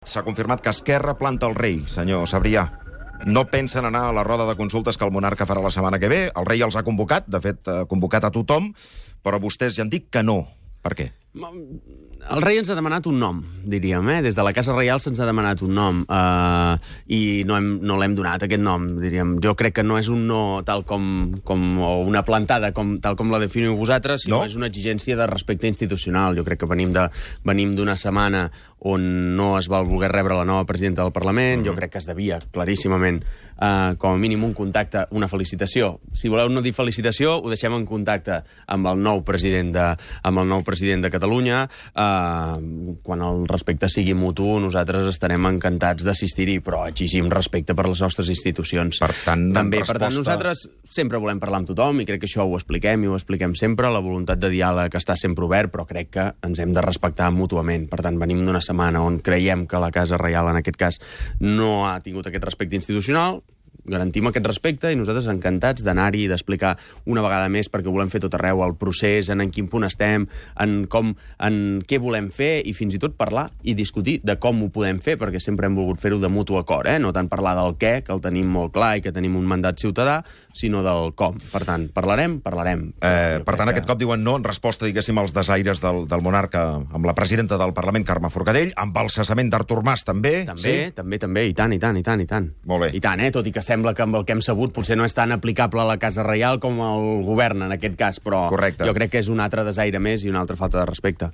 S'ha confirmat que Esquerra planta el rei, senyor Sabrià. No pensen anar a la roda de consultes que el monarca farà la setmana que ve. El rei els ha convocat, de fet, ha convocat a tothom, però vostès ja han dit que no. Per què? El rei ens ha demanat un nom, diríem. Des de la Casa Reial se'ns ha demanat un nom i no l'hem donat, aquest nom, diríem. Jo crec que no és un no tal o una plantada tal com la definiu vosaltres, sinó és una exigència de respecte institucional. Jo crec que venim d'una setmana on no es va voler rebre la nova presidenta del Parlament. Jo crec que es devia, claríssimament, com a mínim un contacte, una felicitació. Si voleu no dir felicitació, ho deixem en contacte amb el nou president de Catalunya. Quan el respecte sigui mutu, nosaltres estarem encantats d'assistir-hi, però exigim respecte per les nostres institucions. Per tant, nosaltres sempre volem parlar amb tothom i crec que això ho expliquem i ho expliquem sempre. La voluntat de diàleg està sempre obert, però crec que ens hem de respectar mútuament. Per tant, venim d'una setmana on creiem que la Casa Reial, en aquest cas, no ha tingut aquest respecte institucional. Garantim aquest respecte i nosaltres encantats d'anar-hi i d'explicar una vegada més, perquè volem fer tot arreu el procés, en quin punt estem, en què volem fer i fins i tot parlar i discutir de com ho podem fer, perquè sempre hem volgut fer-ho de mutu acord, no tant parlar del què, que el tenim molt clar i que tenim un mandat ciutadà, sinó del com. Per tant, parlarem. Per tant, aquest cop diuen no en resposta, diguéssim, als desaires del monarca amb la presidenta del Parlament, Carme Forcadell, amb el cessament d'Artur Mas, també? També, i tant. Molt bé. I tant, tot i que sembla que amb el que hem sabut potser no és tan aplicable a la Casa Reial com al govern, en aquest cas, però correcte. Jo crec que és un altre desaire més i una altra falta de respecte.